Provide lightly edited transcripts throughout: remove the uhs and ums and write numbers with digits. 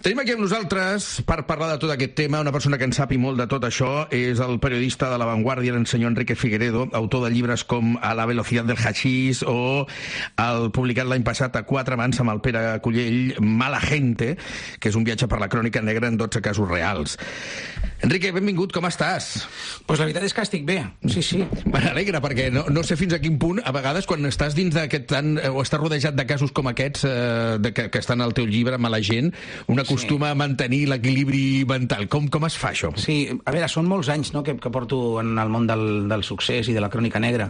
Tenim aquí amb nosaltres, per parlar de tot aquest tema, una persona que en sap i molt de tot això, és el periodista de La Vanguardia, el senyor Enrique Figueredo, autor de llibres com A la velocidad del hachís o el publicat l'any passat a 4 mans amb el Pere Cullell, Mala gente, que és un viatge per la crònica negra en 12 casos reals. Enrique, benvingut, com estàs? Pues la veritat és que estic bé, sí. M'alegra, perquè no sé fins a quin punt, a vegades, quan estàs dins d'aquest tant, o estàs rodejat de casos com aquests, que estan al teu llibre, Mala gent, una acostuma a mantenir l'equilibri mental. Com es fa, això? Sí, a veure, són molts anys, no?, que porto en el món del succés i de la crònica negra.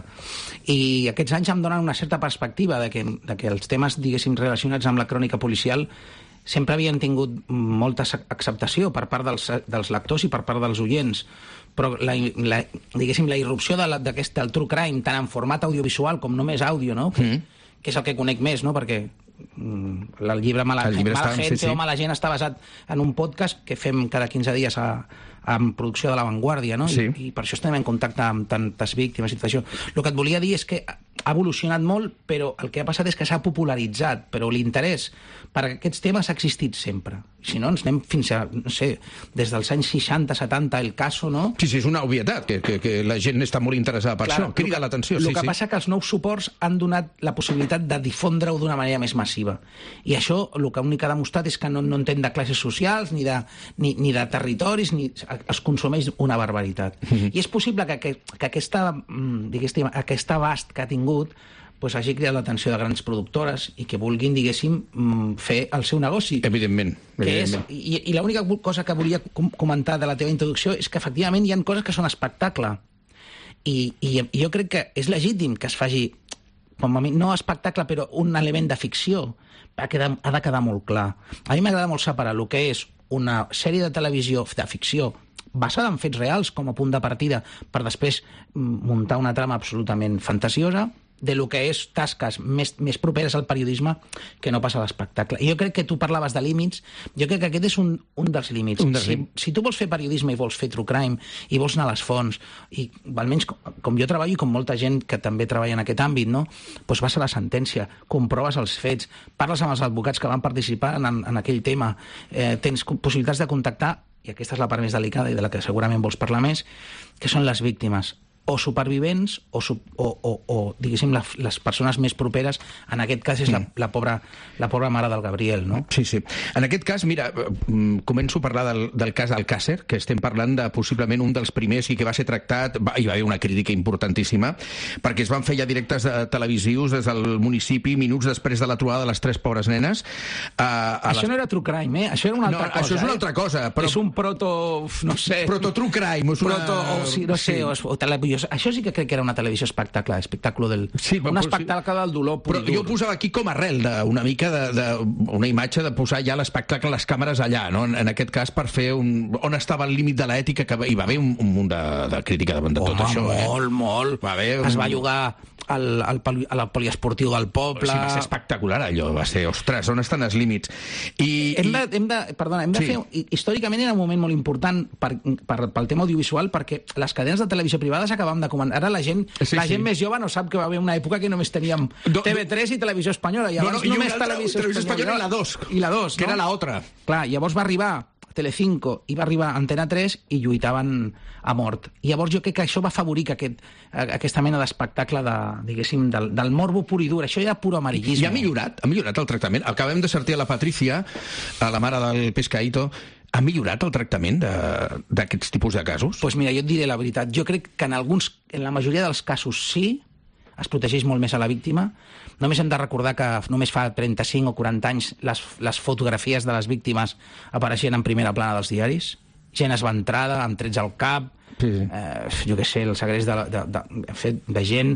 I aquests anys em donen una certa perspectiva de que els temes, diguéssim, relacionats amb la crònica policial sempre havien tingut molta acceptació per part dels lectors i per part dels oients, però diguéssim, la irrupció del true crime, tant en format audiovisual com només àudio, no? Que és el que conec més, no? Perquè el llibre Mala gente o Mala gent està basat en un podcast que fem cada 15 dies en producció de La Vanguardia, no? Sí. I per això estem en contacte amb tantes víctimes i tot això. El que et volia dir és que ha evolucionat molt, però el que ha passat és que s'ha popularitzat, però l'interès per aquests temes ha existit sempre. Si no, ens anem fins a, no sé, des dels anys 60, 70, el caso, no? Sí, és una obvietat, que la gent està molt interessada per això. Crida l'atenció. El que passa que els nous suports han donat la possibilitat de difondre-ho d'una manera més massiva. I això el que únic que ha demostrat és que no entén de classes socials, ni de territoris, ni es consumeix una barbaritat. I és possible que aquest abast que ha tingut pues hagi cridat l'atenció de grans productores i que vulguin, diguéssim, fer el seu negoci. Evidentment. I l'única cosa que volia comentar de la teva introducció és que, efectivament, hi ha coses que són espectacle. I jo crec que és legítim que es faci, com a mi, no espectacle, però un element de ficció. Ha de quedar molt clar. A mi m'agrada molt separar el que és una sèrie de televisió de ficció basada en fets reals com a punt de partida per després muntar una trama absolutament fantasiosa, de lo que és tasques més properes al periodisme que no passa a l'espectacle. I jo crec que tu parlaves de límits, jo crec que aquest és un dels límits. Si tu vols fer periodisme i vols fer true crime i vols anar a les fonts, i almenys com jo treballo i com molta gent que també treballa en aquest àmbit, no? Doncs vas a la sentència, comproves els fets, parles amb els advocats que van participar en aquell tema, tens possibilitats de contactar, i aquesta és la part més delicada i de la que segurament vols parlar més, que són les víctimes, o supervivents o diguéssim, les persones més properes. En aquest cas és la pobra mare del Gabriel, no? Sí. En aquest cas, mira, començo a parlar del cas Alcàsser, que estem parlant de possiblement un dels primers i que va ser tractat, hi va haver una crítica importantíssima, perquè es van fer ja directes televisius des del municipi minuts després de la trobada de les 3 pobres nenes. Això no era true crime, Això era una altra cosa. Això és una altra cosa. És un no sé... Proto-true crime. Això sí que crec que era una televisió espectacle del... Sí, un espectacle del dolor pur i dur. Però jo posava aquí com a arrel una mica una imatge de posar ja l'espectacle, les càmeres allà, no? En aquest cas, per fer on estava el límit de l'ètica, que hi va haver un munt de crítica davant de tot això. Molt. Es va jugar al poliesportiu del poble. Sí, va ser espectacular allò, va ser, ostres, on estan els límits? Hem de fer... Històricament era un moment molt important pel tema audiovisual, perquè les cadenes de televisió privades acabàvem de comentar. Ara la gent més jove no sap que va haver una època que només teníem TV3 i Televisió Espanyola. Llavors només Televisió Espanyola i la 2, que era la otra. Clar, llavors va arribar Telecinco i va arribar Antena 3 i lluitaven a mort. I llavors jo crec que això va afavorir que aquesta mena d'espectacle diguéssim, del morbo pur i dur. Això era puro amarillisme. I ha millorat el tractament. Acabem de sortir a la Patricia, a la mare del Pescaíto. Ha millorat el tractament d'aquests tipus de casos? Doncs mira, jo et diré la veritat. Jo crec que en la majoria dels casos sí, es protegeix molt més a la víctima. Només hem de recordar que només fa 35 o 40 anys les fotografies de les víctimes apareixien en primera plana dels diaris. Gent esventrada, amb trets al cap, jo què sé, el segrest de gent.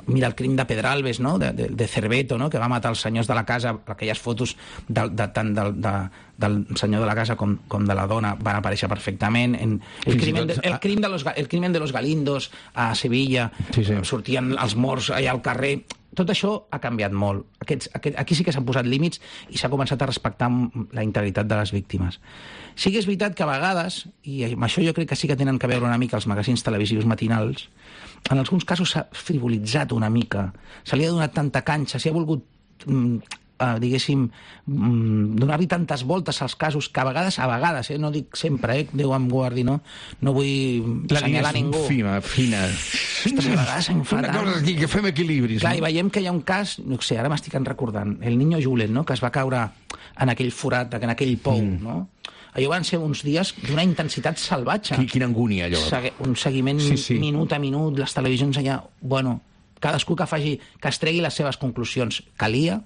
Mira el crim de Pedralbes, no? de Cerveto, no? Que va matar els senyors de la casa. Aquelles fotos tant del senyor de la casa com de la dona van aparèixer perfectament. El crimen de los Galindos a Sevilla, sortien els morts allà al carrer. Tot això ha canviat molt. Aquí sí que s'han posat límits i s'ha començat a respectar la integritat de les víctimes. Sí que és veritat que a vegades, i amb això jo crec que sí que tenen que veure una mica els magazins televisius matinals, en alguns casos s'ha frivolitzat una mica, se li ha donat tanta canxa, s'hi ha volgut diguéssim, donar-li tantes voltes als casos que a vegades, no dic sempre, Déu em guardi, no vull assenyalar ningú. La línia és fina. Ostres, a vegades em fa una cosa aquí, que fem equilibris. Clar, i veiem que hi ha un cas, no sé, ara m'estic recordant, el niño Julen, no?, que es va caure en aquell forat, en aquell pou, no? Allò van ser uns dies d'una intensitat salvatge. Quina angúnia, allò. Un seguiment minut a minut, les televisions allà... Bueno, cadascú que es tregui les seves conclusions. Calia,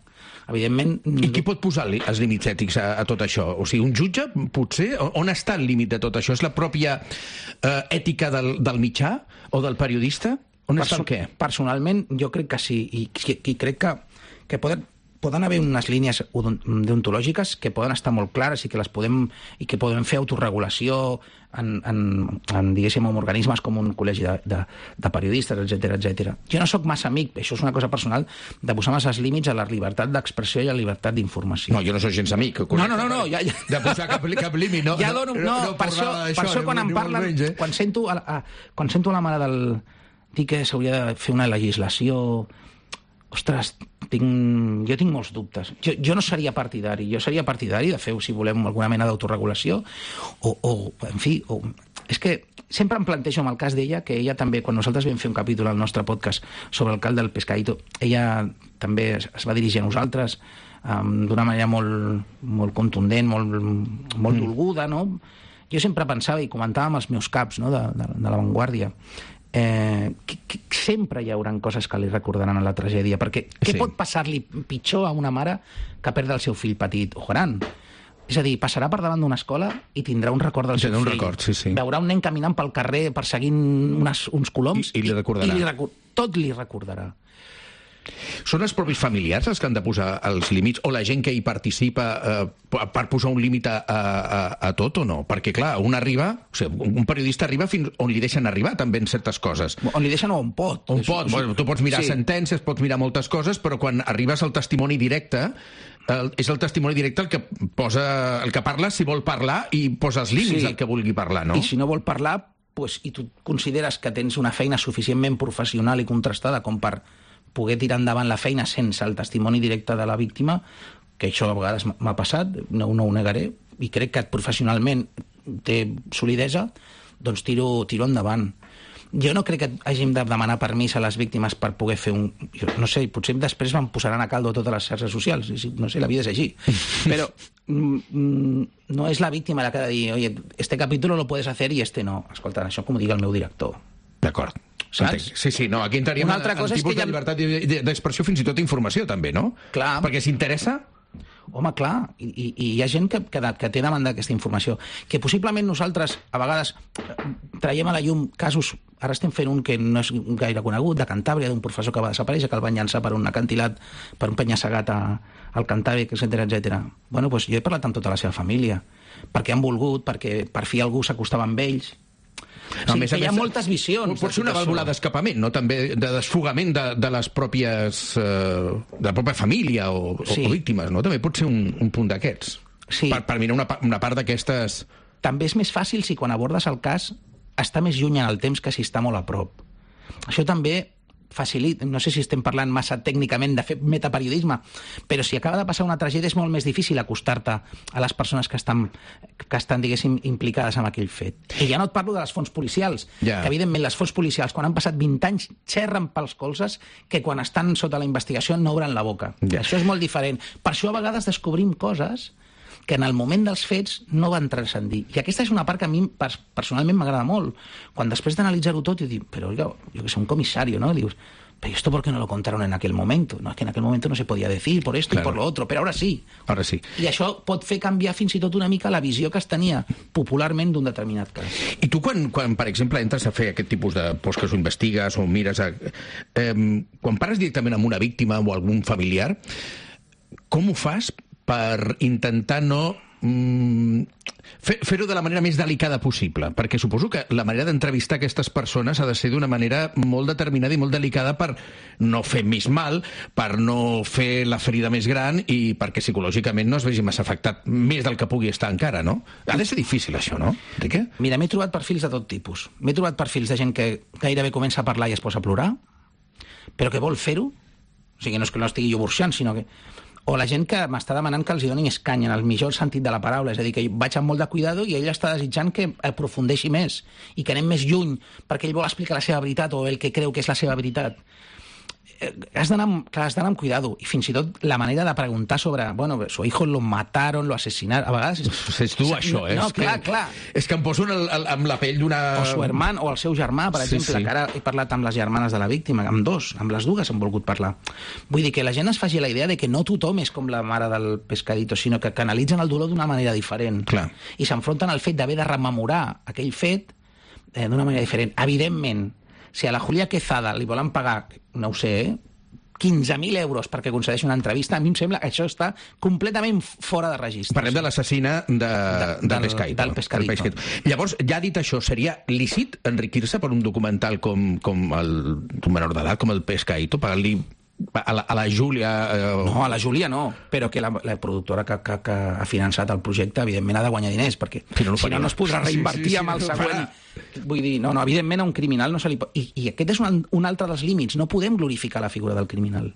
evidentment... I qui pot posar els límits ètics a tot això? O sigui, un jutge, potser? On està el límit de tot això? És la pròpia ètica del mitjà o del periodista? On està el què? Personalment, jo crec que sí. I crec que poden haver unes línies deontològiques que poden estar molt clares i que podem fer autorregulació diguéssim, en organismes com un col·legi de periodistes, etc. Jo no sóc massa amic, això és una cosa personal, de posar massa límits a la llibertat d'expressió i a la llibertat d'informació. No, jo no soc gens amic. No. De posar cap límit, no. Ja dono, per això quan em parlen, quan sento a la mare del... dir que s'hauria de fer una legislació... Ostres, jo tinc molts dubtes. Jo no seria partidari. Jo seria partidari de fer, si volem, alguna mena d'autoregulació és que sempre em plantejo amb el cas d'ella, que ella també, quan nosaltres vam fer un capítol al nostre podcast sobre el cal del Pescadito, ella també es va dirigir a nosaltres d'una manera molt contundent, molt dolguda, no? Jo sempre pensava i comentava amb els meus caps, no?, de La Vanguardia, sempre hi haurà coses que li recordaran a la tragèdia, perquè què pot passar-li pitjor a una mare que perdre el seu fill petit o gran? És a dir, passarà per davant d'una escola i tindrà un record del seu fill. Veurà un nen caminant pel carrer perseguint uns coloms i li recordarà. Tot li recordarà. Són els propis familiars els que han de posar els límits, o la gent que hi participa per posar un límit a tot o no? Perquè, clar, un periodista arriba fins on li deixen arribar també en certes coses. On li deixen o on pot. Bueno, tu pots mirar sentències, pots mirar moltes coses, però quan arribes al testimoni directe, és el testimoni directe el que parla si vol parlar i posa els límits al que vulgui parlar, no? I si no vol parlar, i tu consideres que tens una feina suficientment professional i contrastada com per poder tirar endavant la feina sense el testimoni directe de la víctima, que això a vegades m'ha passat, no ho negaré, i crec que professionalment té solidesa, doncs tiro endavant. Jo no crec que hàgim de demanar permís a les víctimes per poder fer no sé, potser després em posaran a caldo totes les xarxes socials, no sé, la vida és així. Però no és la víctima la que ha de dir, oye, este capítulo lo puedes hacer y este no. Escolta, això com ho digui el meu director. D'acord. Saps? Sí, no, aquí entraríem en tipus de llibertat d'expressió, fins i tot informació, també, no? Clar. Perquè s'interessa? Home, clar, i hi ha gent que té demanda d'aquesta informació, que possiblement nosaltres, a vegades, traiem a la llum casos, ara estem fent un que no és gaire conegut, de Cantàbria, d'un professor que va desaparèixer, que el van llançar per un acantilat, per un penya-segat al Cantàbric, etc. Bueno, doncs jo he parlat amb tota la seva família, perquè han volgut, perquè per fi algú s'acostava amb ells. No, sí, que hi ha moltes visions. Pot ser una vàlvula d'escapament, no? També de desfogament de les pròpies... de la pròpia família o víctimes, no? També pot ser un punt d'aquests. Sí. Per mirar una part d'aquestes... També és més fàcil si quan abordes el cas està més lluny en el temps que si està molt a prop. Això també facilita, no sé si estem parlant massa tècnicament de fer metaperiodisme, però si acaba de passar una tragèdia és molt més difícil acostar-te a les persones que estan, diguéssim, implicades en aquell fet. I ja no et parlo de les fonts policials, que evidentment les fonts policials, quan han passat 20 anys, xerren pels colzes que quan estan sota la investigació no obren la boca. Això és molt diferent. Per això a vegades descobrim coses que en el moment dels fets no van transcendir. I aquesta és una part que a mi personalment m'agrada molt. Quan després d'analitzar-ho tot, dic, però oiga, yo que sé, un comisario, ¿no? Dius, pero ¿esto por qué no lo contaron en aquel momento? No, es que en aquel momento no se podía decir por esto y por lo otro, pero ahora sí. Ahora sí. I això pot fer canviar fins i tot una mica la visió que es tenia popularment d'un determinat cas. I tu quan per exemple, entres a fer aquest tipus de... que ho investigues o mires... quan parles directament amb una víctima o algun familiar, com ho fas per intentar no fer-ho de la manera més delicada possible? Perquè suposo que la manera d'entrevistar aquestes persones ha de ser d'una manera molt determinada i molt delicada per no fer més mal, per no fer la ferida més gran i perquè psicològicament no es vegi massa afectat més del que pugui estar encara, no? Ha de ser difícil això, no, Enrique? Mira, m'he trobat perfils de tot tipus. M'he trobat perfils de gent que gairebé comença a parlar i es posa a plorar, però que vol fer-ho. O sigui, no és que no estigui jo burxant, sinó que... O la gent que m'està demanant que els doni més canya, en el millor sentit de la paraula. És a dir, que vaig amb molt de cuidado i ell està desitjant que aprofundeixi més i que anem més lluny, perquè ell vol explicar la seva veritat o el que creu que és la seva veritat. Has d'anar amb cuidado. I fins i tot la manera de preguntar sobre, bueno, su hijo lo mataron, lo asesinaron, a vegades... És tu, això, eh? No, clar. És que em poso amb la pell d'una... O su hermano, o el seu germà, per exemple, que ara he parlat amb les germanes de la víctima, amb les dues hem volgut parlar. Vull dir que la gent es faci la idea de que no tothom és com la mare del pescadito, sinó que canalitzen el dolor d'una manera diferent. Clar. I s'enfronten al fet d'haver de rememorar aquell fet d'una manera diferent. Evidentment, si a la Julia Quezada li volen pagar, no ho sé, 15.000 euros perquè concedeixi una entrevista, a mi em sembla que això està completament fora de registre. Parlem de l'assassina del Pescadito. Del Pescadito. Llavors, ja dit això, seria lícit enriquir-se per un documental com un menor d'edat, com el Pescadito, pagar-li a la Júlia... No, a la Júlia no, però que la productora que ha finançat el projecte, evidentment, ha de guanyar diners, perquè si no es podrà reinvertir amb el següent... Vull dir, no, evidentment a un criminal no se li pot... I aquest és un altre dels límits. No podem glorificar la figura del criminal.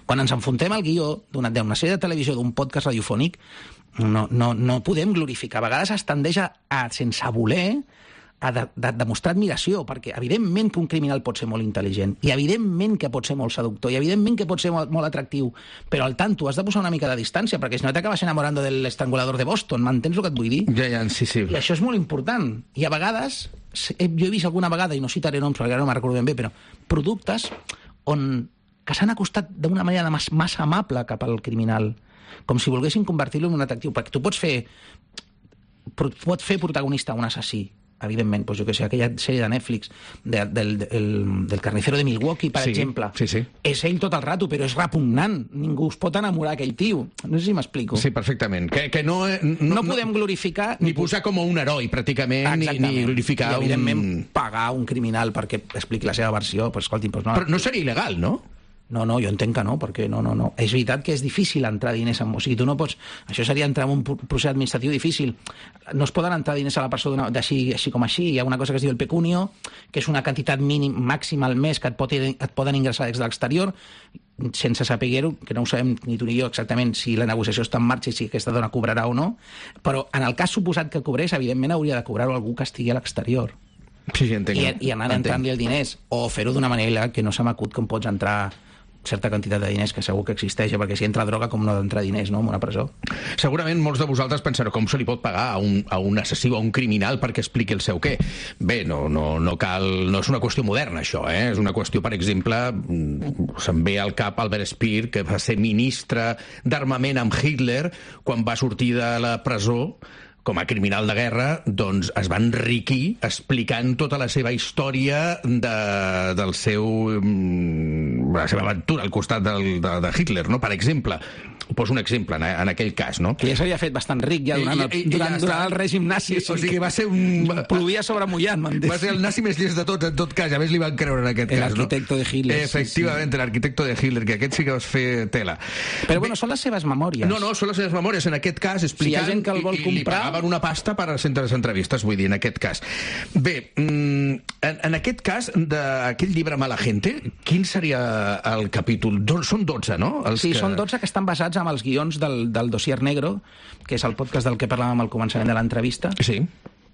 Quan ens enfrontem al guió d'una sèrie de televisió, d'un podcast radiofònic, no podem glorificar. A vegades es tendeix a sense voler, a demostrar admiració, perquè evidentment que un criminal pot ser molt intel·ligent, i evidentment que pot ser molt seductor, i evidentment que pot ser molt atractiu, però al tanto has de posar una mica de distància, perquè si no t'acabes enamorando del estrangulador de Boston, m'entens el que et vull dir? Ja, sí. I això és molt important. I a vegades, jo he vist alguna vegada, i no citaré noms perquè ara no me'n recordo ben bé, però productes que s'han acostat d'una manera massa amable cap al criminal, com si volguessin convertir-lo en un atractiu, perquè tu pots fer protagonista un assassí, evidentment, doncs jo que sé, aquella sèrie de Netflix del carnicero de Milwaukee, per exemple. Sí. És ell tot el rato, però és repugnant. Ningú es pot enamorar d'aquell tio. No sé si m'explico. Sí, perfectament. Que no podem glorificar... Ni posar com un heroi, pràcticament, ni glorificar... I, evidentment, pagar un criminal perquè expliqui la seva versió, però escolti... Però no seria il·legal, no? No, jo entenc que no, perquè no. És veritat que és difícil entrar diners en... O sigui, tu no pots... Això seria entrar en un procés administratiu difícil. No es poden entrar diners a la persona així com així. Hi ha una cosa que es diu el pecunio, que és una quantitat màxima al mes que et poden ingressar des de l'exterior, sense saber-ho, que no ho sabem ni tu ni jo exactament si la negociació està en marxa i si aquesta dona cobrarà o no, però en el cas suposat que cobrés, evidentment hauria de cobrar-ho algú que estigui a l'exterior. Sí, entenc. I anar entrant-li els diners, o fer-ho d'una manera que no se m'acut com pots entrar certa quantitat de diners, que segur que existeix, perquè si entra droga, com no d'entrar diners, no?, en una presó. Segurament molts de vosaltres pensareu com se li pot pagar a un assassí o a un criminal perquè expliqui el seu què. Bé, no cal... No és una qüestió moderna, això, eh? És una qüestió, per exemple, se'm ve al cap Albert Speer, que va ser ministre d'armament amb Hitler quan va sortir de la presó com a criminal de guerra, doncs es va enriquir explicant tota la seva història la seva aventura al costat de Hitler, no? Per exemple, poso un exemple en aquell cas, no? Que ja s'havia fet bastant ric ja durant el règim nazi, o sigui que va ser plovia sobre mullat, m'han dit. Va ser el nazi més llest de tots, en tot cas, a més li van creure en aquest cas, no? L'arquitecto de Hitler. Efectivament, l'arquitecto de Hitler, que aquest sí que vas fer tela. Però bueno, són les seves memòries. No, són les seves memòries, en aquest cas, explicant... Si hi ha gent que el vol comprar... una pasta per a centres d'entrevistes, vull dir, en aquest cas. Bé, en aquest cas, d'aquell llibre Mala Gente, quin seria el capítol? Són 12, no? Són 12 que estan basats en els guions del Dossier Negro, que és el podcast del que parlàvem al començament de l'entrevista. Sí.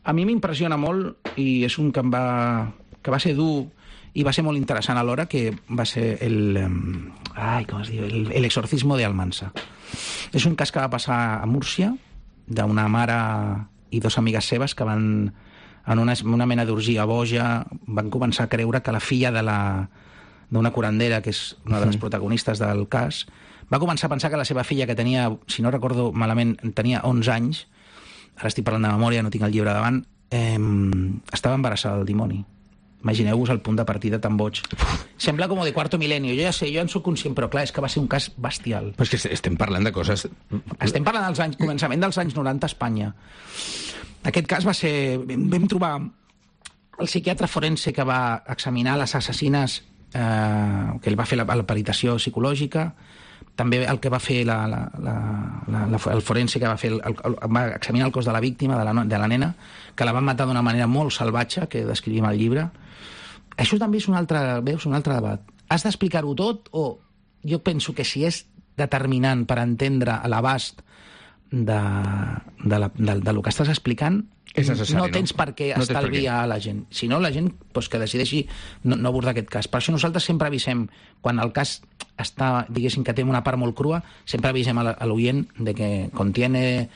A mi m'impressiona molt, i és un que va ser dur i va ser molt interessant alhora, que va ser com es diu? El exorcismo de Almansa. És un cas que va passar a Múrcia, d'una mare i dos amigues seves que van, en una mena d'orgia boja, van començar a creure que la filla d'una curandera, que és una de les protagonistes del cas, va començar a pensar que la seva filla, que tenia, si no recordo malament, tenia 11 anys, ara estic parlant de memòria, no tinc el llibre davant, estava embarassada del dimoni. Imagineu-vos el punt de partida tan boig. Sembla com de cuarto milenio. Jo ja sé, jo en soc conscient, però clar, és que va ser un cas bestial. Però és que estem parlant de coses... Estem parlant dels començament dels anys 90 a Espanya. Aquest cas va ser... Vam trobar el psiquiatre forense que va examinar les assassines, que ell va fer la peritació psicològica, també el que va fer el forense que va fer va examinar el cos de la víctima, de la nena, que la van matar d'una manera molt salvatge, que descrivim al llibre. Això també és un altre debat. Has d'explicar-ho tot, o jo penso que si és determinant per entendre l'abast del que estàs explicant, és necessari, no tens per què estalviar a la gent. Si no, la gent que decideixi no abordar aquest cas. Per això nosaltres sempre avisem, quan el cas està, diguéssim, que té una part molt crua, sempre avisem a l'oient de que contiene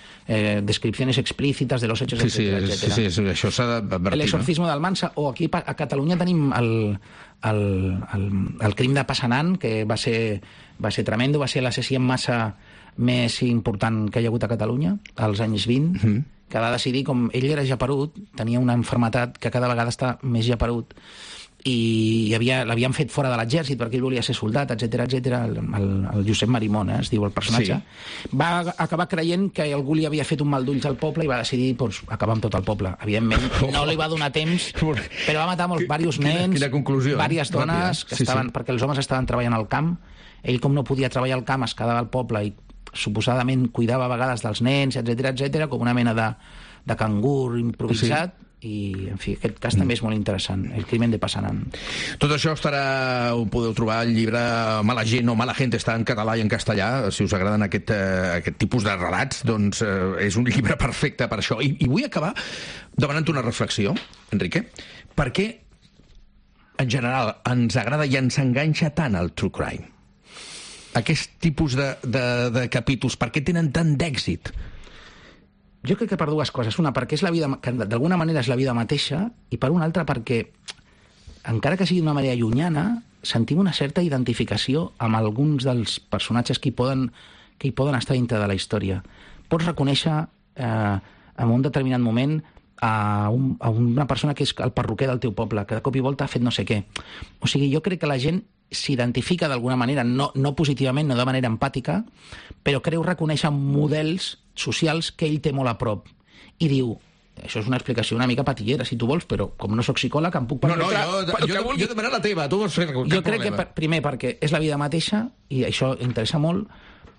descripciones explícitas de los hechos, etcétera. Sí, això s'ha d'advertir. El exorcismo d'Almansa, o aquí a Catalunya tenim el crim de Passanant, que va ser tremendo, va ser l'assassí en massa més important que hi ha hagut a Catalunya als anys 20, que va decidir, com ell era japerut, tenia una malaltia que cada vegada està més japerut, i l'havien fet fora de l'exèrcit perquè ell volia ser soldat, etcètera. El Josep Marimón, es diu el personatge. Sí. Va acabar creient que algú li havia fet un mal d'ulls al poble i va decidir acabar amb tot el poble. Evidentment, no li va donar temps, però va matar diversos nens, diverses dones, que estaven, perquè els homes estaven treballant al camp. Ell, com no podia treballar al camp, es quedava al poble i suposadament cuidava a vegades dels nens, etcètera, com una mena de cangur improvisat. I, en fi, aquest cas també és molt interessant, el crimen de Passanant. Tot això ho podeu trobar al llibre Mala gent o Mala gente, està en català i en castellà. Si us agraden aquest tipus de relats, doncs és un llibre perfecte per això. I vull acabar demanant una reflexió, Enrique. Per què, en general, ens agrada i ens enganxa tant el true crime? Aquest tipus de capítols, per què tenen tant d'èxit? Jo crec que per dues coses. Una, perquè és la vida, que d'alguna manera és la vida mateixa, i per una altra perquè, encara que sigui d'una manera llunyana, sentim una certa identificació amb alguns dels personatges que hi poden estar dintre de la història. Pots reconèixer en un determinat moment a una persona que és el perruquer del teu poble, que de cop i volta ha fet no sé què. O sigui, jo crec que la gent s'identifica d'alguna manera, no positivament, no de manera empàtica, però creu reconèixer models socials que ell té molt a prop. I diu, això és una explicació una mica patillera, si tu vols, però com no sóc psicòleg em puc permetre... Jo demano la teva, tu vols fer cap problema. Jo crec que, primer, perquè és la vida mateixa, i això interessa molt,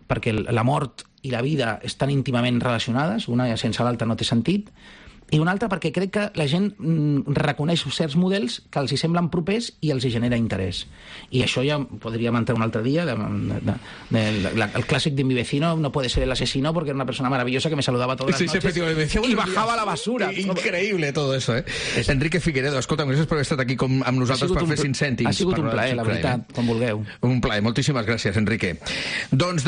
perquè la mort i la vida estan íntimament relacionades, una sense l'altra no té sentit, i una altra perquè crec que la gent reconeix certs models que els hi semblen propers i els hi genera interès. I això ja podríem entrar un altre dia, el clàssic de mi vecino no puede ser el asesino porque era una persona maravillosa que me saludaba todas las noches y bajaba la basura. Increïble todo eso, Enrique Figueredo, escolta'm, gràcies per haver estat aquí amb nosaltres per fer 5 cèntims. Ha sigut un plaer, la veritat, com vulgueu. Un plaer, moltíssimes gràcies, Enrique. Doncs